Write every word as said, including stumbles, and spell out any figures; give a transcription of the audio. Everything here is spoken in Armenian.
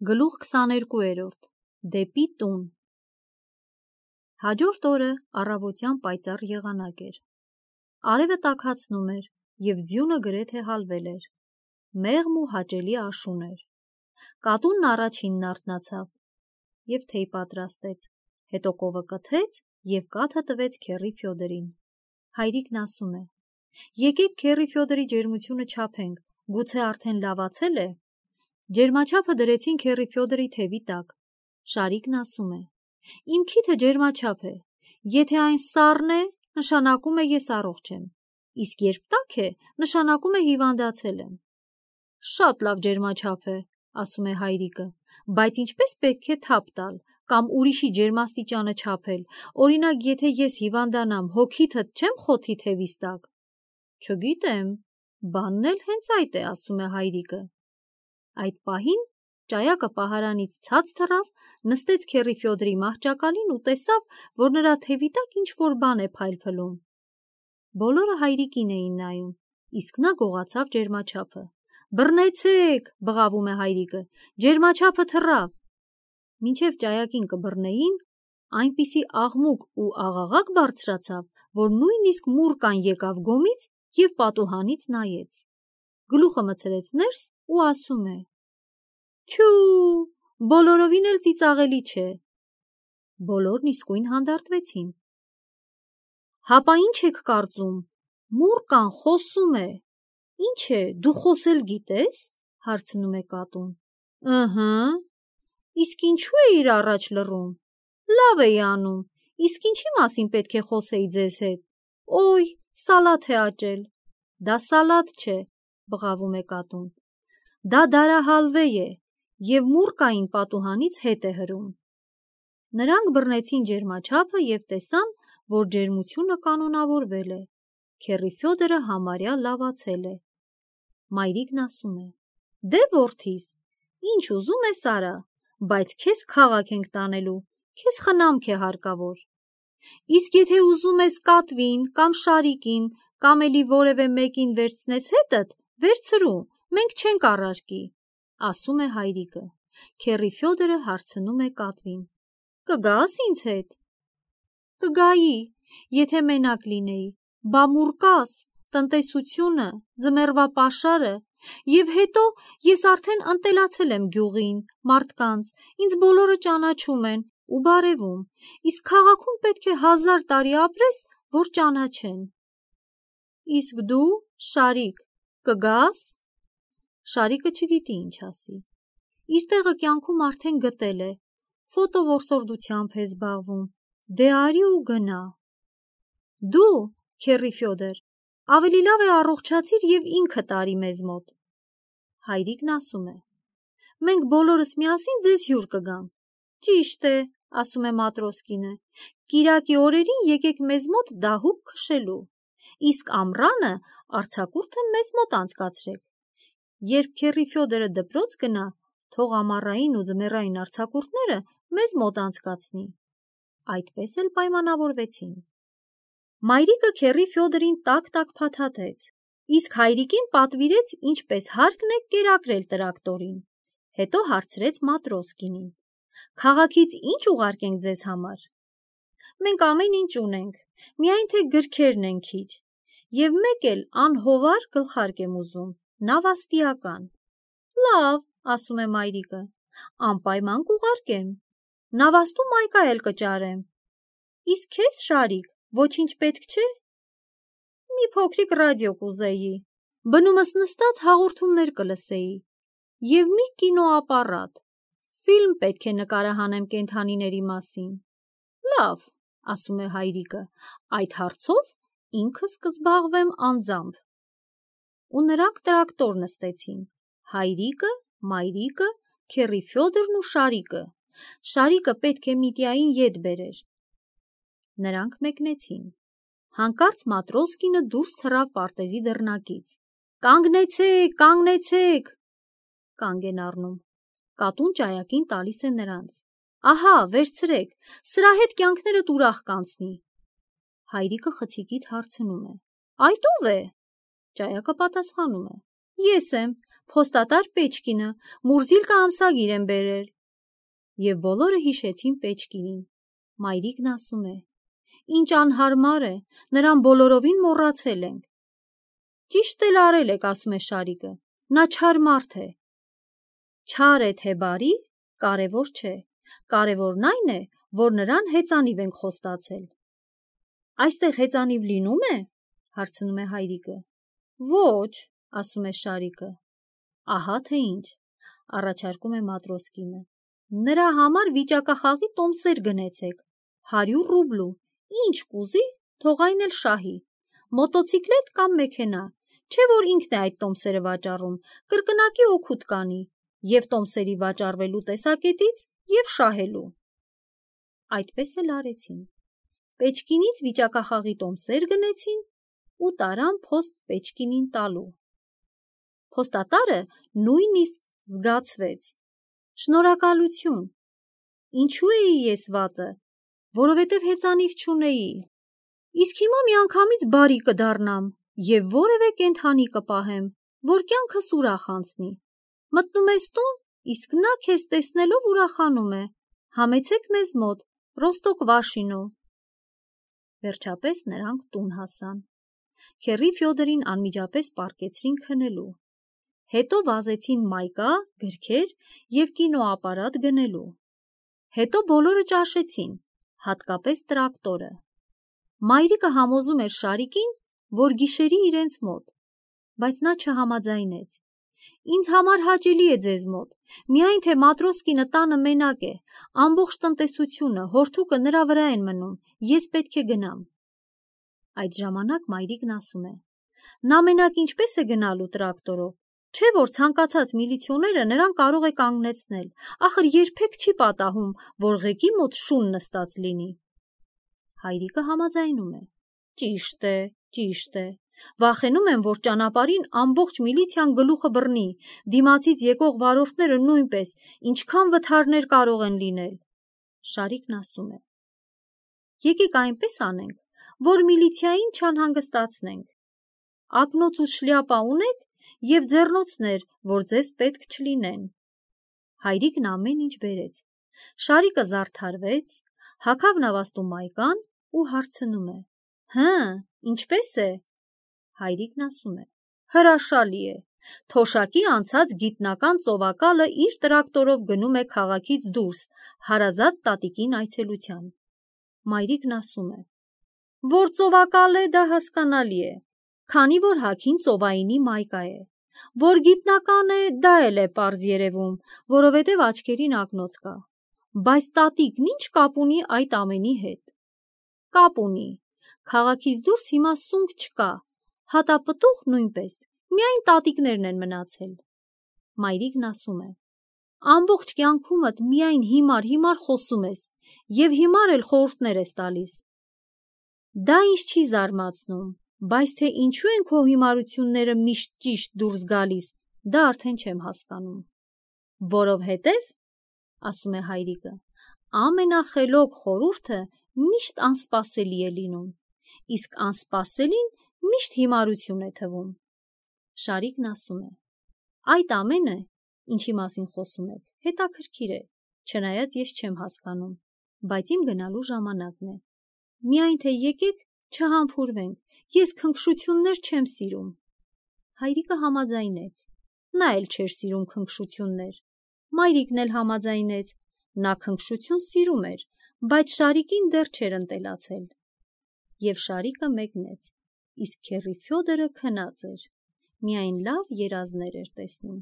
Գլուխ քսաներկուերորդ Դեպի տուն։ Հաջորդ օրը առավոտյան պայծառ եղանակ էր։ Արևը տաքացնում էր և ձյունը գրեթե հալվել էր։ Մեղմ ու հաճելի աշուն էր։ Կատունն առաջինն արթնացավ և թեյ պատրաստեց, հետո կովը կթեց և կաթը տվեց քեռի Ֆյոդորին։ Հայրիկն ասում է. «Եկեք քեռի Ֆյոդորի ջերմությունը չափենք, գուցե արդեն լավացել է»։ Ջերմաչափը դրեցին քեռի Ֆյոդորի թևի տակ։ Շարիկն ասում է. «Իմ քիթը ջերմաչափ է, եթե այն սառն է, նշանակում է ես առողջ եմ, իսկ երբ տաք է, նշանակում է հիվանդացել եմ»։ Շատ լավ ջերմաչափ է, ասում է հայրիկը, բայց ինչպես պետք է թափ տալ կամ ուրիշի ջերմաստիճանը չափել, օրինակ, եթե ես հիվանդանամ, հո քիթդ չեմ խոթի թևիս տակ։ Չգիտեմ, բանն էլ հենց այդ է, ասում է հայրիկը։ Այդ պահին ճայակը պահարանից ցած թռավ, նստեց քեռի Ֆյոդորի մահճակալին ու տեսավ, որ նրա թևի տակ ինչ-որ բան է փայլփլում։ Բոլորը հայրիկին էին նայում, իսկ նա գողացավ ջերմաչափը։ «Բռնեցեք», բղավում է հայրիկը, «ջերմաչափը թռավ»։ Մինչև ճայակին կբռնեին, այնպիսի աղմուկ ու աղաղակ բարձրացավ, որ նույնիսկ մուրկան եկավ գոմից և պատուհանից նայեց։ Գլուխը մտցրեց ներս ու ասում է. «Թյու, բոլորովին էլ ծիծաղելի չէ»։ Բոլորն իսկույն հանդարտվեցին։ «Հապա ինչ եք կարծում, մուրկան խոսում է»։ «Ինչ է, դու խոսել գիտես»։ Հարցնում է կատուն։ «Ըհը»։ «Իսկ ինչու էիր առաջ լռում»։ «Լավ էի անում, իսկ ինչի մասին պետք է խոսեի ձեզ հետ»։ «Օյ, սալաթ է աճել»։ «Դա սալաթ չէ», բղավում է կատուն։ «Դա դարահալվե է և մուրկային պատուհանից հետ է հրում»։ Նրանք բռնեցին ջերմաչափը և տեսան, որ ջերմությունը կանոնավորվել է։ Քեռի Ֆյոդորը համարյա լավացել է։ Մայրիկն ասում է. «Դե որդիս, ինչ ուզում ես արա, բայց քեզ քաղաք ենք տանելու, քեզ խնամք է հարկավոր։ Իսկ եթե ուզում ես կատվին կամ շարիկին կամ էլի որևէ մեկին վերցնես հետդ, վերցրու, մենք չենք առարկի», ասում է հայրիկը։ Քեռի Ֆյոդորը հարցնում է կատվին. «Կգա՞ս ինձ հետ»։ «Կգայի, եթե մենակ լինեի, բա մուրկաս, տնտեսությունը, ձմեռվա պաշարը, և հետո ես արդեն ընտելացել եմ գյուղին, մարդկանց, ինձ բոլորը ճանաչում են ու բարևում, իսկ քաղաքում պետք է հազար տարի ապրես, որ ճանաչեն»։ «Իսկ դու, Շարիկ, կգա՞ս»։ Շարիկը չգիտի ինչ ասի։ Իր տեղը կյանքում արդեն գտել է, ֆոտոորսորդությամբ է զբաղվում, դե արի ու գնա։ «Դու, քեռի Ֆյոդոր, ավելի լավ է առողջացիր և ինքդ արի մեզ մոտ»։ Հայրիկն ասում է. «Մենք բոլորս միասին ձեզ հյուր կգանք»։ «Ճիշտ է», ասում է Մատրոսկինը, «կիրակի օրերին եկեք մեզ մոտ դահուկ քշելու, իսկ ամռանը արձակուրդը մեզ մոտ անցկացրեք։ Երբ քեռի Ֆյոդորը դպրոց գնա, թող ամառային ու ձմեռային արձակուրդները մեզ մոտ անցկացնի»։ Այդպես էլ պայմանավորվեցին։ Մայրիկը քեռի Ֆյոդորին տակ-տակ փաթաթեց, իսկ հայրիկին պատվիրեց ինչպես հարկն է կերակրել տրակտորին, հետո հարցրեց Մատրոսկինին. «Քաղաքից ի՞նչ ուղարկենք ձեզ համար»։ «Մենք ամեն ինչ ունենք, միայն թե գրքերն են քիչ, և մեկ էլ անհովար գլխարկ եմ ուզում, նավաստիական»։ «Լավ», ասում է մայրիկը, «անպայման կուղարկեմ, նավաստու մայկա էլ կճարեմ»։ «Իսկ քեզ, Շարիկ, ոչինչ պետք չէ»։ «Մի փոքրիկ ռադիո կուզեի, բնումս նստած հաղորդումներ կլսեի, և մի կինոապարատ, ֆիլմ պետք է նկարահանեմ կենդանիների մասին»։ «Լավ», ասում է հայրիկը, «այդ հարցով ինքս կզբաղվեմ անձամբ»։ Ու նրանք տրակտոր նստեցին՝ հայրիկը, մայրիկը, քեռի Ֆյոդորն ու Շարիկը։ Շարիկը պետք է Միտյային ետ բերեր։ Նրանք մեկնեցին։ Հանկարծ Մատրոսկինը դուրս թռավ պարտեզի դռնակից։ «Կանգնեցե՛ք, կանգնեցե՛ք»։ Կանգ են առնում։ Կատուն ճայակին տալիս է նրանց։ «Ահա, վերցրեք, սրա հետ կյանքներդ ուրախ կանցնի»։ Հայրիկը խցիկից հարցնում է. «Այդ ո՞վ է»։ Ճայակը պատասխանում է. «Ես եմ, Փոստատար Պեչկինը Մուրզիլկա ամսագիր են բերել։ Եվ բոլորը հիշեցին Պեչկինին։ Մայրիկն ասում է. Ինչ անհարմար է, նրան բոլորովին մոռացել ենք։ Ճիշտ էլ արել եք, ասում է Շարիկը, նա չար մարդ է։ Չար է թե բարի, կարևոր չէ, կարևորն այն է, որ նրան հեծանիվ ենք խոստացել։ Այստեղ հեծանիվ լինում է, հարցնում է հայրիկը։ Ոչ, ասում է Շարիկը։ Ահա թե ինչ, առաջարկում է Մատրոսկինը։ Նրա համար վիճակախաղի տոմսեր գնեցեք, հարյուր ռուբլու, ինչ կուզի, թող այն էլ շահի, մոտոցիկլետ կամ մեքենա, չէ որ ինքն է այդ տոմսերը վաճառում, կրկնակի օգուտ կանի, և տոմսերի վաճառվելու տեսակետից, և շահելու։ Այդպես էլ արեցին։ Պեչկինից վիճակախաղի տոմսեր գնեցին ու տարան փոստ Պեչկինին տալու։ Փոստատարը նույնիսկ զգացվեց։ Շնորհակալություն։ Ինչու էի ես վատը, որովհետև հեծանիվ չունեի։ Իսկ հիմա միանգամից բարի կդառնամ և որևէ կենդանի կպահեմ, որ կյանքս ուրախ անցնի։ Մտնում ես տուն, իսկ նա քեզ տեսնելով ուրախանում է։ Համեցեք մեզ մոտ, Ռոստոկ-Վաշինո։ Վերջապես նրանք տուն հասան։ Քեռի Ֆյոդորին անմիջապես պառկեցրին քնելու։ Հետո վազեցին մայկա, գրքեր և կինոապարատ գնելու։ Հետո բոլորը ճաշեցին, հատկապես տրակտորը։ Մայրիկը համոզում էր Շարիկին, որ գիշերի իրենց մոտ, բայց նա չհամաձայնեց։ Ինձ համար հաճելի է ձեզ մոտ, միայն թե Մատրոսկինը տանը մենակ է, ամբողջ տնտեսությունը, հորթուկը նրա վրա են մնում, ես պետք է գնամ։ Այդ ժամանակ մայրիկն ասում է. Նա մենակ ինչպես է գնալու տրակտորով, չէ որ ցանկացած միլիցիոները նրան կարող է կանգնեցնել, ախր երբեք չի պատահում, որ ղեկի մոտ շուն նստած լինի։ Հայրիկը համաձայնում է. Ճիշտ է, ճիշտ է, վախենում եմ, որ ճանապարհին ամբողջ միլիցիան գլուխը բռնի, դիմացից եկող վարորդները նույնպես, ինչքան վթարներ կարող են լինել։ Շարիկն ասում է. Եկեք այնպես անենք, որ միլիցիային չանհանգստացնենք։ Ակնոց ու շլյապա ունեք և ձեռնոցներ, որ ձեզ պետք չլինեն։ Հայրիկն ամեն ինչ բերեց։ Շարիկը զարդարվեց, հագավ նավաստու մայկան ու հարցնում է. Հը, ինչպես է։ Հայրիկն ասում է. հրաշալի է։ Թոշակի անցած գիտնական ծովակալը իր տրակտորով գնում է քաղաքից դուրս, հարազատ տատիկին այցելության։ Մայրիկն ասում է. որ ծովակալ է, դա հասկանալի է, քանի որ հագին ծովայինի մայկա է, որ գիտնական է, դա էլ է պարզ երևում, որովհետև աչքերին ակնոց կա, բայց տատիկն ինչ կապ ունի այդ ամենի հետ։ Կապ ունի, քաղաքից դուրս հիմա սունկ չկա, հատապտուղ նույնպես, միայն տատիկներն են մնացել։ Մայրիկն ասում է. ամբողջ կյանքումդ միայն հիմար-հիմար խոսում ես և հիմար էլ խորհուրդներ ես տալիս։ Դա ինձ չի զարմացնում, բայց թե ինչու են քո հիմարությունները միշտ ճիշտ դուրս գալիս, դա արդեն չեմ հասկանում։ Որովհետև, ասում է հայրիկը, ամենախելոք խորհուրդը միշտ անսպասելի է լինում, իսկ անսպասելին միշտ հիմարություն է թվում։ Շարիկն ասում է. այդ ամենը, ինչի մասին խոսում եք, հետաքրքիր է, չնայած ես չեմ հասկանում, բայց իմ գնալու ժամանակն է։ Միայն թե եկեք չհամբուրվենք, ես քնքշություններ չեմ սիրում։ Հայրիկը համաձայնեց, նա էլ չէր սիրում քնքշություններ։ Մայրիկն էլ համաձայնեց, նա քնքշություն սիրում էր, բայց Շարիկին դեռ չէր ընտելացել։ Եվ Շարիկը մեկնեց, իսկ քեռի Ֆյոդորը քնած էր, միայն լավ երազներ էր տեսնում։